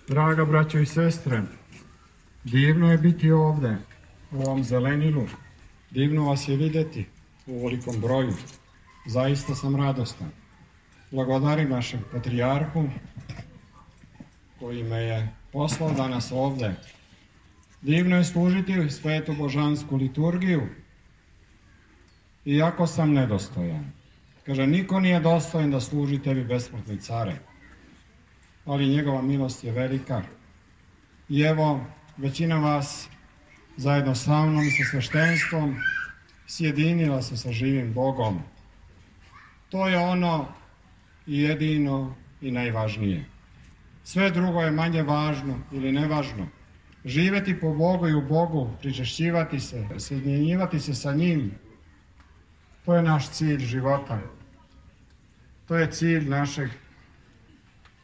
Draga braćo i sestre, divno je biti ovde, u ovom zelenilu. Divno vas je videti u ovolikom broju. Zaista sam radostan. Blagodarim našem patrijarhu koji me je poslao danas ovde. Divno je služiti svetu božansku liturgiju, iako sam nedostojan. Kaže, niko nije dostojan da služi tebi, besmrtni care, ali njegova milost je velika. I evo, većina vas zajedno sa mnom i sa sveštenstvom sjedinila se sa živim Bogom. To je ono jedino i najvažnije. Sve drugo je manje važno ili nevažno. Živeti po Bogu i u Bogu, pričešćivati se, sjedinjivati se sa njim, to je naš cilj života. To je cilj našeg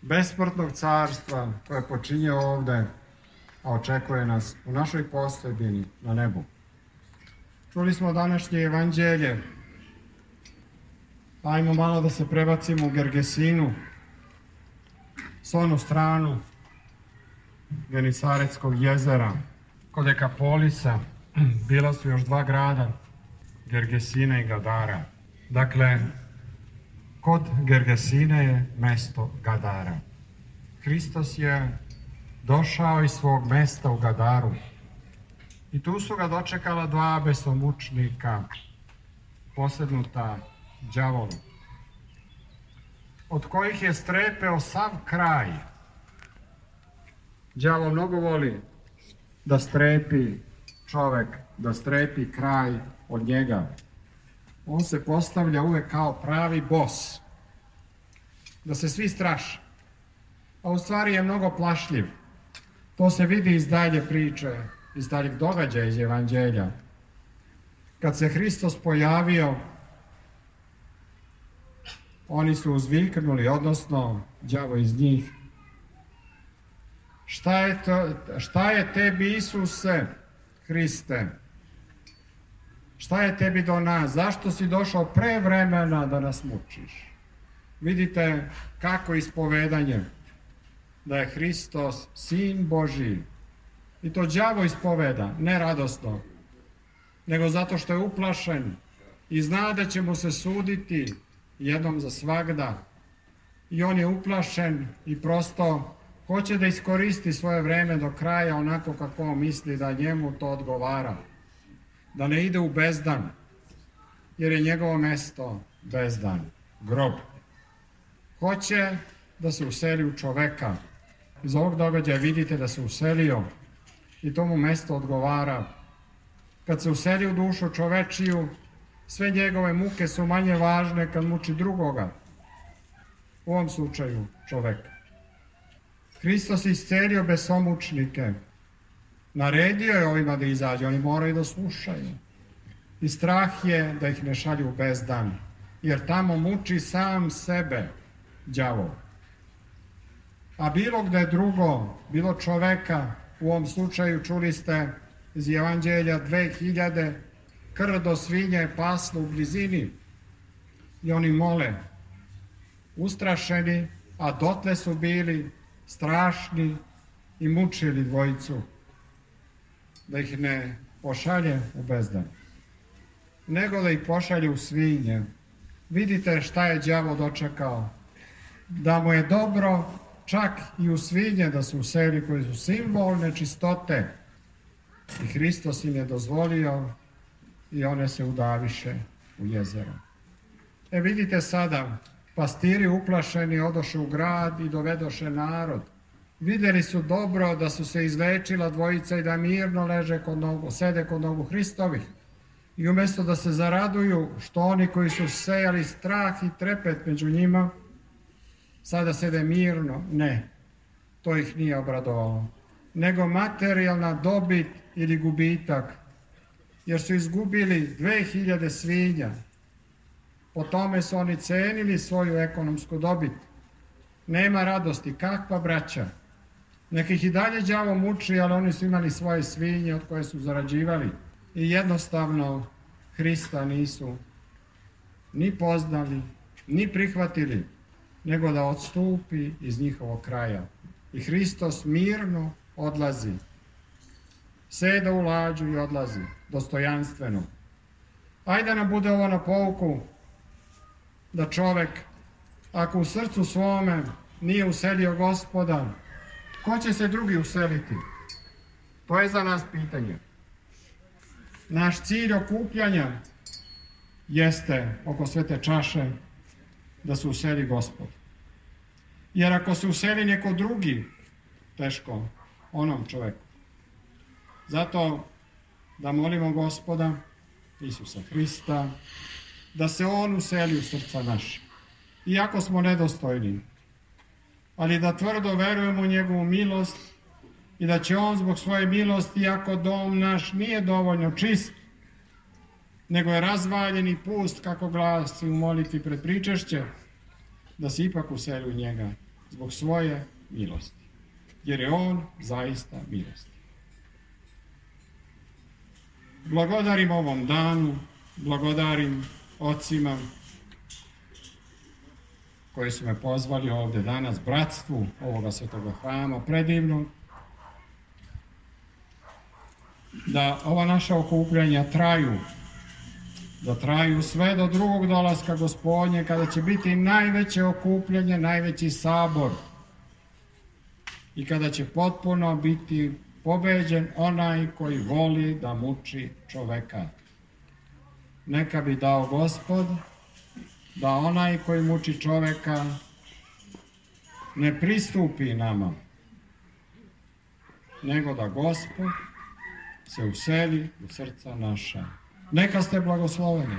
besmrtnog carstva koje počinje ovde, a očekuje nas u našoj postojbini na nebu. Čuli smo današnje evanđelje. Ajmo malo da se prebacimo u Gergesinu, s onu stranu Genisaretskog jezera. Kod Dekapolisa bila su još dva grada, Gergesina i Gadara. Dakle, kod Gergesine je mesto Gadara. Hristos je došao iz svog mesta u Gadaru i tu su ga dočekala dva besomučnika, posednuta đavolu, od kojih je strepeo sav kraj. Đavo mnogo voli da strepi čovek, da strepi kraj od njega. On se postavlja uvek kao pravi bos, da se svi straše, a u stvari je mnogo plašljiv. To se vidi iz dalje priče, iz daljeg događaja iz evanđelja. Kad se Hristos pojavio, oni su uzviknuli, odnosno đavo iz njih: šta je tebi, Isuse Hriste? Šta je tebi do nas? Zašto si došao pre vremena da nas mučiš? Vidite kako ispovedanje da je Hristos Sin Božji. I to đavo ispoveda, ne radosno, nego zato što je uplašen i zna da će mu se suditi jednom za svagda. I on je uplašen i prosto hoće da iskoristi svoje vreme do kraja onako kako on misli da njemu to odgovara. Da ne ide u bezdan, jer je njegovo mesto bezdan, grob. Hoće da se useli u čoveka. Iz ovog događaja vidite da se uselio i to mu mesto odgovara. Kad se useli u dušu čovečiju, sve njegove muke su manje važne kad muči drugoga, u ovom slučaju čoveka. Hristos je iscelio besomučnike. Naredio je ovima da izađu, oni moraju da slušaju. I strah je da ih ne šalju u bezdan, jer tamo muči sam sebe đavo. A bilo gde drugo, bilo čoveka, u ovom slučaju čuli ste iz evanđelja 2000 krdo svinje paslo u blizini i oni mole, ustrašeni, a dotle su bili strašni i mučili dvojicu, da ih ne pošalje u bezdan, nego da ih pošalje u svinje. Vidite šta je đavo dočekao, da mu je dobro čak i u svinje da se useli, koji su simbol nečistote. I Hristos im je dozvolio i one se udaviše u jezero. Vidite sada, pastiri uplašeni odoše u grad i dovedoše narod. Videli su dobro da su se izlečila dvojica i da mirno sede kod nogu Hristovih. I umesto da se zaraduju što oni koji su sejali strah i trepet među njima, sada sede mirno, ne, to ih nije obradovalo, nego materijalna dobit ili gubitak, jer su izgubili 2000 svinja. Po tome su oni cenili svoju ekonomsku dobit. Nema radosti, kakva braća? Neka ih i dalje đavo muči, ali oni su imali svoje svinje od koje su zarađivali i jednostavno Hrista nisu ni poznali, ni prihvatili, nego da odstupi iz njihovog kraja. I Hristos mirno odlazi. Seda u lađu i odlazi, dostojanstveno. Ajde nam bude ovo na pouku, da čovek, ako u srcu svome nije uselio Gospoda, ko će se drugi useliti? To je za nas pitanje. Naš cilj okupljanja jeste oko svete čaše da se useli Gospod. Jer ako se useli neko drugi, teško onom čoveku. Zato da molimo Gospoda, Isusa Hrista, da se On useli u srca naše. Iako smo nedostojni, ali da tvrdo verujemo u njegovu milost i da će On zbog svoje milosti, iako dom naš nije dovoljno čist, nego je razvaljen i pust, kako glasi u molitvi pred pričešće, da se ipak useli u njega zbog svoje milosti. Jer je On zaista milosti. Blagodarim ovom danu, blagodarim ocima koji su me pozvali ovde danas, bratstvu ovoga svetoga hrama, predivno, da ova naša okupljanja traju, da traju sve do drugog dolaska Gospodnje, kada će biti najveće okupljanje, najveći sabor i kada će potpuno biti pobeđen onaj koji voli da muči čoveka. Neka bi dao Gospod da onaj koji muči čoveka ne pristupi nama, nego da Gospod se useli u srca naša. Neka ste blagosloveni.